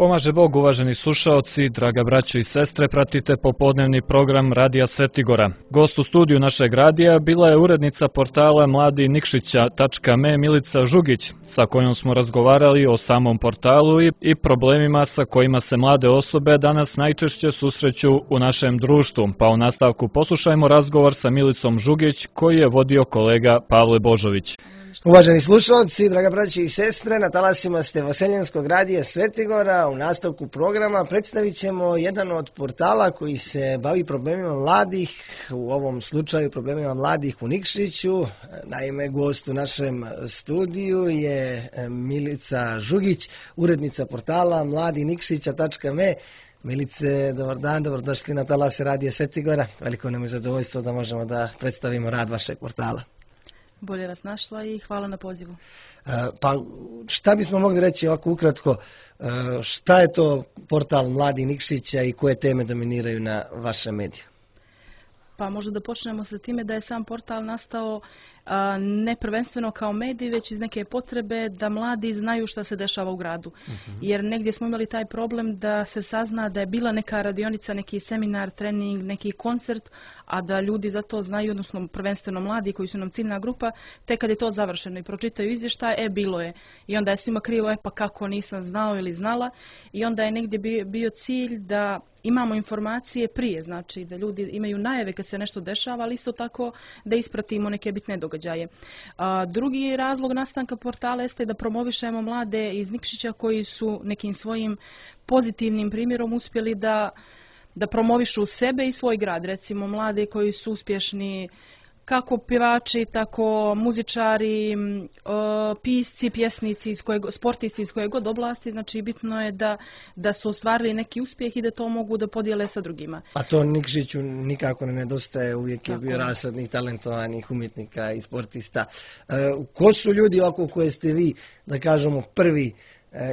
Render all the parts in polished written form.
Pomaže Bog, uvaženi slušaoci, draga braćo i sestre, pratite popodnevni program Radija Svetigora. Gost u studiju našeg radija bila je urednica portala mladinikšića.me Milica Žugić, sa kojom smo razgovarali o samom portalu i problemima sa kojima se mlade osobe danas najčešće susreću u našem društvu. Pa u nastavku poslušajmo razgovor sa Milicom Žugić koji je vodio kolega Pavle Božović. Uvaženi slušalci, draga braći i sestre, na talasima ste Vaseljenskog radija Svetigora. U nastavku programa predstavit ćemo jedan od portala koji se bavi problemima mladih, u ovom slučaju problemima mladih u Nikšiću. Naime, gost u našem studiju je Milica Žugić, urednica portala mladinikšića.me. Milice, dobar dan, dobrodošli na talase radija Svetigora. Veliko nam je zadovoljstvo da možemo da predstavimo rad vašeg portala. Bolje vas našla i hvala na pozivu. Pa šta bismo mogli reći ovako ukratko, šta je to portal Mladi Nikšića i koje teme dominiraju na vašem mediju? Pa možda da počnemo sa time da je sam portal nastao ne prvenstveno kao medij, već iz neke potrebe da mladi znaju šta se dešava u gradu. Jer negdje smo imali taj problem da se sazna da je bila neka radionica, neki seminar, trening, neki koncert, a da ljudi za to znaju, odnosno prvenstveno mladi koji su nam ciljna grupa, tek kad je to završeno i pročitaju izvještaj, bilo je. I onda je svima krivo, pa kako nisam znao ili znala. I onda je negdje bio cilj da imamo informacije prije, znači da ljudi imaju najave kad se nešto dešava, ali isto tako da ispratimo neke bitne događaje. Drugi razlog nastanka portala jeste da promovišemo mlade iz Nikšića koji su nekim svojim pozitivnim primjerom uspjeli da promovišu sebe i svoj grad. Recimo mlade koji su uspješni kako pjevači, tako muzičari, pisci, pjesnici, sportisti iz koje god oblasti. Znači bitno je da su ostvarili neki uspjeh i da to mogu da podijele sa drugima. A to Nikšiću nikako ne nedostaje, uvijek je bio rasadnih, talentovanih umjetnika i sportista. Ko su ljudi oko koje ste vi, da kažemo, prvi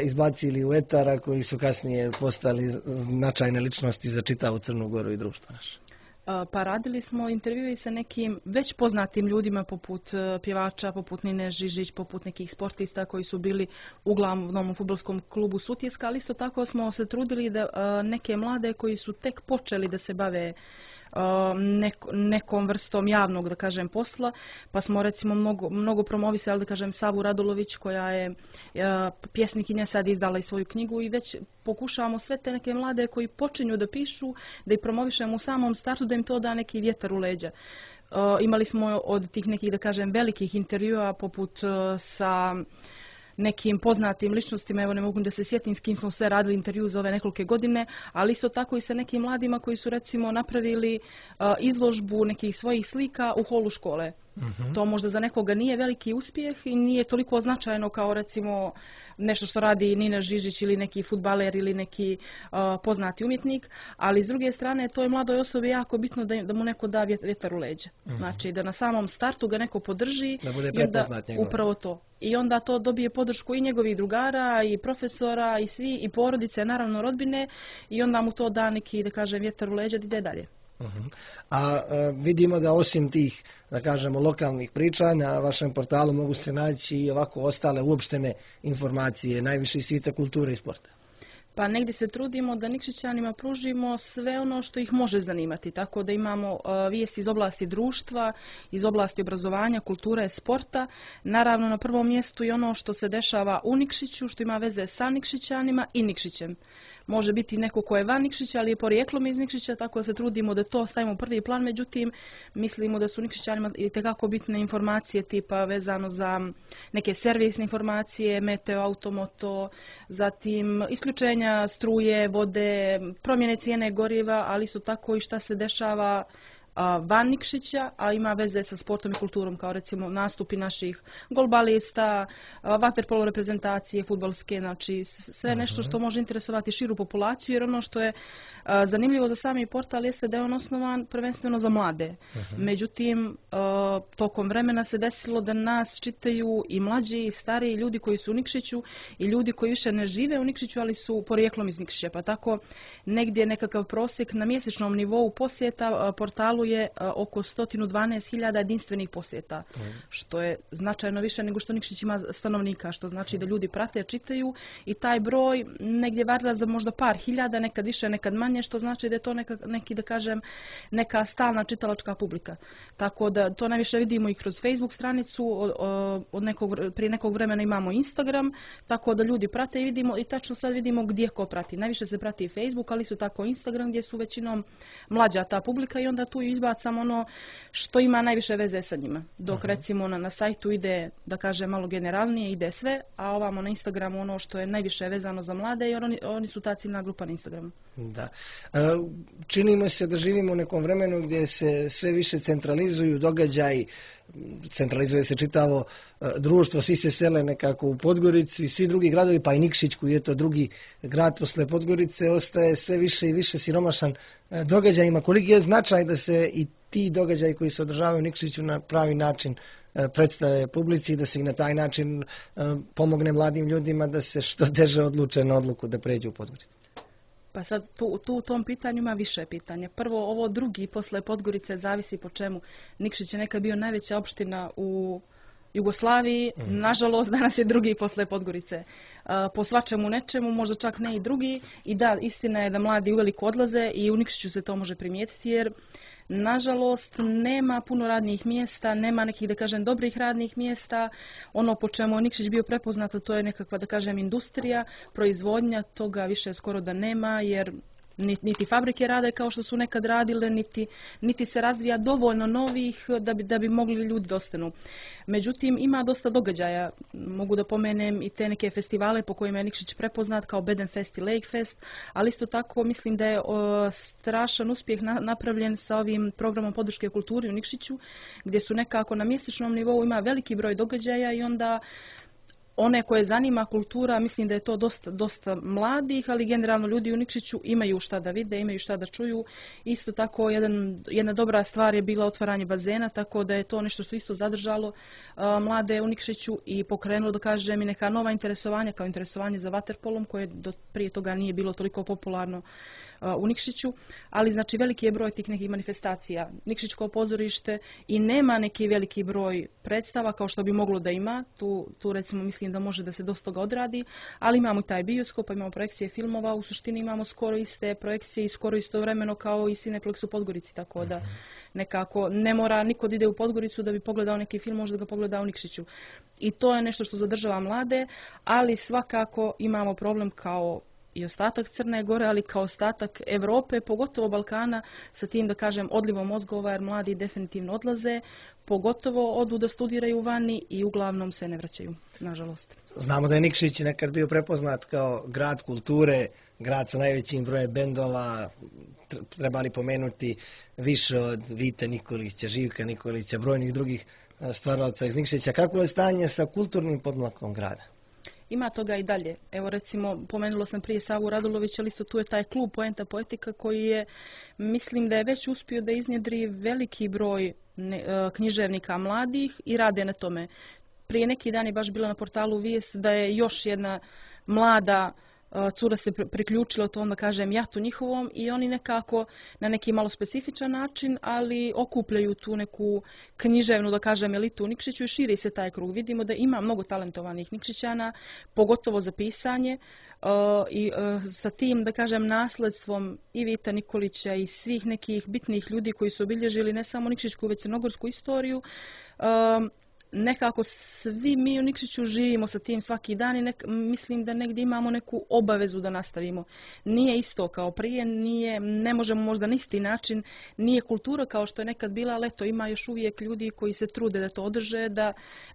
izbacili u etara, koji su kasnije postali značajne ličnosti za čitavu Crnu Goru i društvo naše? Pa radili smo intervjue sa nekim već poznatim ljudima poput pjevača, poput Nine Žižić, poput nekih sportista koji su bili uglavnom u fudbalskom klubu Sutjeska, ali isto tako smo se trudili da neke mlade koji su tek počeli da se bave nekom vrstom javnog, da kažem, posla, pa smo recimo mnogo promovisali, da kažem, Savu Radulović koja je pjesnikinja, sad izdala i svoju knjigu i već pokušavamo sve te neke mlade koji počinju da pišu, da ih promovišemo u samom startu, da im to da neki vjetar u leđa. Imali smo od tih nekih, da kažem, velikih intervjua poput sa nekim poznatim ličnostima, evo ne mogu da se sjetim s kim smo sve radili intervju za ove nekolike godine, ali isto tako i sa nekim mladima koji su recimo napravili izložbu nekih svojih slika u holu škole. To možda za nekoga nije veliki uspjeh i nije toliko značajno kao recimo nešto što radi Nina Žižić ili neki fudbaler ili neki poznati umjetnik, ali s druge strane to je mladoj osobi jako bitno da mu neko da vjetar u leđa. Znači da na samom startu ga neko podrži, da bude prepoznat njegov. Upravo to. I onda to dobije podršku i njegovih drugara i profesora i svi i porodice, naravno rodbine, i onda mu to da neki, da kažem, vjetar u leđa da ide dalje. A vidimo da osim tih, da kažemo, lokalnih priča, na vašem portalu mogu se naći i ovako ostale uopštene informacije, najviše iz svijeta kulture i sporta. Pa negdje se trudimo da Nikšićanima pružimo sve ono što ih može zanimati, tako da imamo vijesti iz oblasti društva, iz oblasti obrazovanja, kulture, sporta. Naravno na prvom mjestu i ono što se dešava u Nikšiću, što ima veze sa Nikšićanima i Nikšićem. Može biti neko ko je van Nikšića, ali je porijeklom iz Nikšića, tako da se trudimo da to stavimo u prvi plan. Međutim, mislimo da su Nikšićanima itekako bitne informacije tipa vezano za neke servisne informacije, meteo, automoto, zatim isključenja struje, vode, promjene cijene goriva, ali isto tako i šta se dešava van Nikšića, a ima veze sa sportom i kulturom, kao recimo nastupi naših golbalista, vaterpolo reprezentacije, fudbalske, znači sve nešto što može interesovati širu populaciju, jer ono što je zanimljivo za sami portal jeste da je on osnovan prvenstveno za mlade. Međutim, tokom vremena se desilo da nas čitaju i mlađi i stariji ljudi koji su u Nikšiću i ljudi koji više ne žive u Nikšiću, ali su porijeklom iz Nikšića. Pa tako negdje nekakav prosjek na mjesečnom nivou posjeta portalu je oko 112.000 jedinstvenih posjeta, što je značajno više nego što Nikšić ima stanovnika, što znači da ljudi prate, čitaju i taj broj negdje varira za možda par hiljada, nekad više, nekad manje, što znači da je to neka stalna čitalačka publika. Tako da to najviše vidimo i kroz Facebook stranicu, prije nekog vremena imamo Instagram, tako da ljudi prate i vidimo i tačno sad vidimo gdje ko prati. Najviše se prati i Facebook, ali su tako Instagram gdje su većinom mlađa ta publika i onda tu izbacam ono što ima najviše veze sa njima. Dok recimo na sajtu ide, da kažem, malo generalnije, ide sve, a ovamo na Instagramu ono što je najviše vezano za mlade jer oni su ta ciljna grupa na Instagramu. Da. Činimo se da živimo u nekom vremenu gdje se sve više centralizuju događaji, centralizuje se čitavo društvo, svi se sele nekako u Podgoricu i svi drugi gradovi, pa i Nikšić koji je to drugi grad posle Podgorice, ostaje sve više i više siromašan događajima. Koliki je značaj da se i ti događaji koji se održavaju u Nikšiću na pravi način predstave publici i da se i na taj način pomogne mladim ljudima da se što teže odluče na odluku da pređu u Podgoricu? Pa sad tu u tom pitanju ima više pitanja. Prvo, ovo drugi posle Podgorice zavisi po čemu. Nikšić je nekad bio najveća opština u Jugoslaviji, nažalost danas je drugi posle Podgorice. Po svačemu nečemu, možda čak ne i drugi. I da, istina je da mladi uveliko odlaze i u Nikšiću se to može primijetiti jer nažalost nema puno radnih mjesta, nema nekih, da kažem, dobrih radnih mjesta. Ono po čemu je Nikšić bio prepoznato, to je nekakva, da kažem, industrija, proizvodnja, toga više skoro da nema jer niti fabrike rade kao što su nekad radile, niti se razvija dovoljno novih da bi mogli ljudi da ostanu. Međutim, ima dosta događaja. Mogu da pomenem i te neke festivale po kojima je Nikšić prepoznat kao Bedenfest i Lakefest, ali isto tako mislim da je strašan uspjeh napravljen sa ovim programom podrške kulturi u Nikšiću, gdje su nekako na mjesečnom nivou ima veliki broj događaja i onda one koje zanima kultura, mislim da je to dosta mladih, ali generalno ljudi u Nikšiću imaju šta da vide, imaju šta da čuju. Isto tako jedna dobra stvar je bila otvaranje bazena, tako da je to nešto što isto zadržalo mlade u Nikšiću i pokrenulo, da kažem, i neka nova interesovanja, kao interesovanje za vaterpolom koje prije toga nije bilo toliko popularno u Nikšiću, ali znači veliki je broj tih nekih manifestacija. Nikšić kao pozorište i nema neki veliki broj predstava kao što bi moglo da ima. Tu recimo mislim da može da se dosta toga odradi, ali imamo i taj bioskop, imamo projekcije filmova, u suštini imamo skoro iste projekcije i skoro istovremeno kao i Cineplex u Podgorici, tako da nekako ne mora niko da ide u Podgoricu da bi pogledao neki film, možda ga pogleda u Nikšiću. I to je nešto što zadržava mlade, ali svakako imamo problem kao i ostatak Crne Gore, ali kao ostatak Europe, pogotovo Balkana, sa tim, da kažem, odlivom mozgova, jer mladi definitivno odlaze, pogotovo odu da studiraju vani i uglavnom se ne vraćaju, nažalost. Znamo da je Nikšić nekad bio prepoznat kao grad kulture, grad sa najvećim brojem bendova, trebali pomenuti više od Vite Nikolića, Živka Nikolića, brojnih drugih stvaralaca iz Nikšića. Kako je stanje sa kulturnim podmlakom grada? Ima toga i dalje. Evo recimo, pomenula sam prije Savu Radulović, ali isto tu je taj klub Poenta Poetika koji je, mislim da je već uspio da iznjedri veliki broj književnika mladih i rade na tome. Prije neki dan je baš bila na portalu vijest da je još jedna mlada cura se priključila to, onda kažem, jatu njihovom i oni nekako na neki malo specifičan način, ali okupljaju tu neku književnu, da kažem, elitu u Nikšiću i širi se taj krug. Vidimo da ima mnogo talentovanih Nikšićana, pogotovo za pisanje i sa tim, da kažem, nasledstvom i Vita Nikolića i svih nekih bitnih ljudi koji su obilježili ne samo nikšićku, već crnogorsku istoriju. Nekako svi mi u Nikšiću živimo sa tim svaki dan i mislim da negdje imamo neku obavezu da nastavimo. Nije isto kao prije, ne možemo možda na isti način, nije kultura kao što je nekad bila, ali eto ima još uvijek ljudi koji se trude da to održe,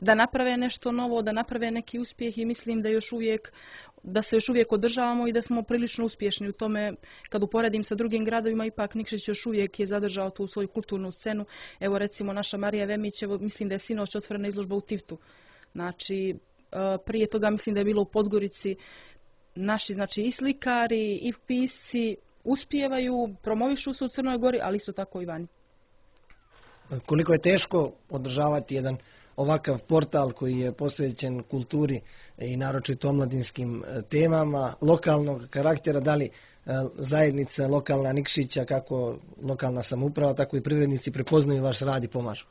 da naprave nešto novo, da naprave neki uspjeh i mislim da se još uvijek održavamo i da smo prilično uspješni u tome. Kad uporedim sa drugim gradovima, ipak Nikšić još uvijek je zadržao tu svoju kulturnu scenu. Evo recimo naša Marija Vemić, mislim da je sinoć otvorena izložba u Tivtu. Znači, prije toga mislim da je bilo u Podgorici. Naši, znači, i slikari i pisci uspijevaju, promovišu se u Crnoj Gori, ali isto tako i vani. Koliko je teško održavati jedan ovakav portal koji je posvećen kulturi i naročito omladinskim temama lokalnog karaktera, da li zajednica lokalna Nikšića, kako lokalna samouprava, tako i privrednici prepoznaju vaš rad i pomažu?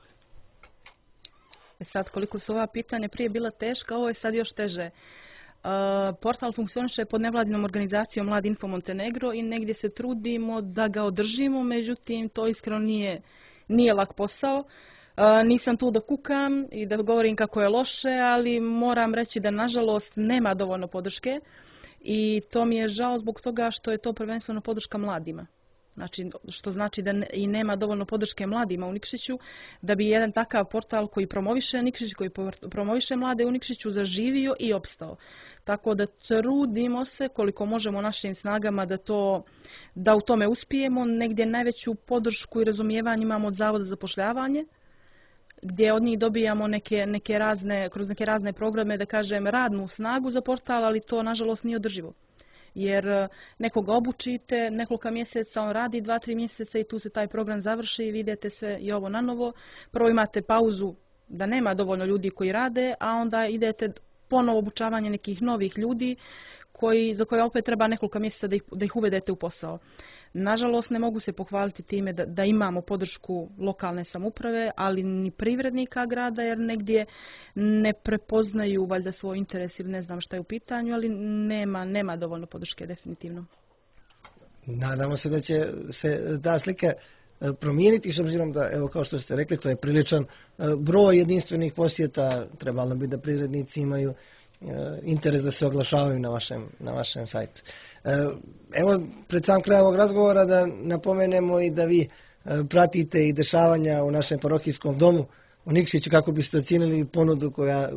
Sad, koliko su ova pitanja prije bila teška, ovo je sad još teže. Portal funkcioniše pod nevladinom organizacijom Mladi Info Montenegro i negdje se trudimo da ga održimo, međutim to iskreno nije lak posao. Nisam tu da kukam i da govorim kako je loše, ali moram reći da nažalost nema dovoljno podrške i to mi je žao zbog toga što je to prvenstveno podrška mladima. Znači, što znači da i nema dovoljno podrške mladima u Nikšiću, da bi jedan takav portal koji promoviše Nikšić, koji promoviše mlade u Nikšiću zaživio i opstao. Tako da trudimo se koliko možemo našim snagama da u tome uspijemo. Negdje najveću podršku i razumijevanje imamo od Zavoda za zapošljavanje, gdje od njih dobijamo kroz neke razne programe, da kažem, radnu snagu za portal, ali to nažalost nije održivo. Jer nekoga obučite, nekoliko mjeseca on radi, 2-3 mjeseca i tu se taj program završi i vidite sve i ovo na novo. Prvo imate pauzu da nema dovoljno ljudi koji rade, a onda idete ponovo obučavanje nekih novih ljudi za koje opet treba nekoliko mjeseca da ih uvedete u posao. Nažalost, ne mogu se pohvaliti time da imamo podršku lokalne samouprave, ali ni privrednika grada, jer negdje ne prepoznaju valjda svoj interes ili ne znam šta je u pitanju, ali nema dovoljno podrške definitivno. Nadamo se da će se ta slika promijeniti, s obzirom da, evo kao što ste rekli, to je priličan broj jedinstvenih posjeta, trebalo bi da privrednici imaju interes da se oglašavaju na vašem sajtu. Evo, pred sam kraj ovog razgovora da napomenemo i da vi pratite i dešavanja u našem parohijskom domu u Nikšiću, kako biste ocijenili ponudu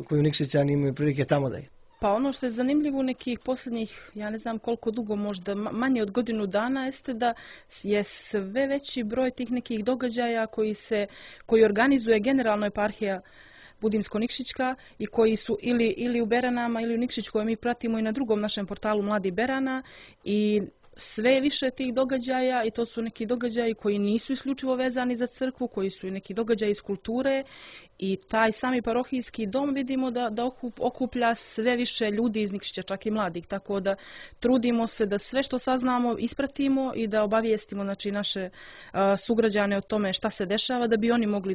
koju Nikšićani imaju prilike tamo da je. Pa ono što je zanimljivo u nekih posljednjih, ja ne znam koliko dugo, možda manje od godinu dana, jeste da je sve veći broj tih nekih događaja koji organizuje generalno eparhija Budimsko-Nikšićka i koji su ili u Beranama ili u Nikšiću, koje mi pratimo i na drugom našem portalu Mladi Berana, i sve više tih događaja, i to su neki događaji koji nisu isključivo vezani za crkvu, koji su i neki događaji iz kulture, i taj sami parohijski dom vidimo da okuplja sve više ljudi iz Nikšića, čak i mladih, tako da trudimo se da sve što saznamo ispratimo i da obavijestimo, znači, naše sugrađane o tome šta se dešava, da bi oni mogli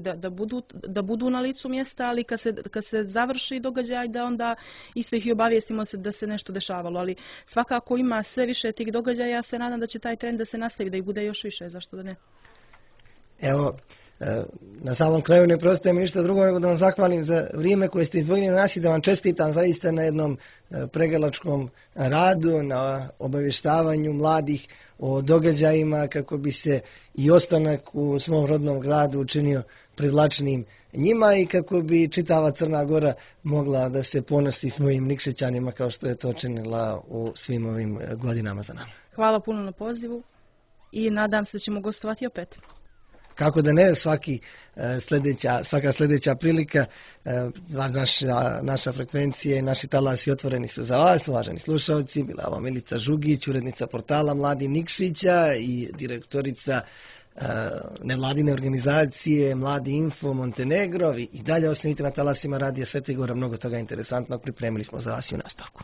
da budu na licu mjesta, ali kad se završi događaj da onda isto ih i obavijestimo da se nešto dešavalo, ali svakako ima sve više tih događaja. Ja se nadam da će taj trend da se nastavi, da ih bude još više, zašto da ne. Evo, na samom kraju ne preostaje mi ništa drugo nego da vam zahvalim za vrijeme koje ste izdvojili na nas i da vam čestitam zaista na jednom pregalačkom radu, na obavještavanju mladih o događajima, kako bi se i ostanak u svom rodnom gradu učinio privlačnijim njima i kako bi čitava Crna Gora mogla da se ponosi svojim Nikšićanima kao što je to činila u svim ovim godinama za nama. Hvala puno na pozivu i nadam se da ćemo gostovati opet. Kako da ne, svaka sljedeća prilika, naša frekvencija i naši talasi otvoreni su za vas, uvaženi slušalci. Bila vam Milica Žugić, urednica portala Mladi Nikšića i direktorica nevladine organizacije Mladi Info Montenegro. I dalje ostanite na talasima Radija Svetogora, mnogo toga interesantnog pripremili smo za vas i u nastavku.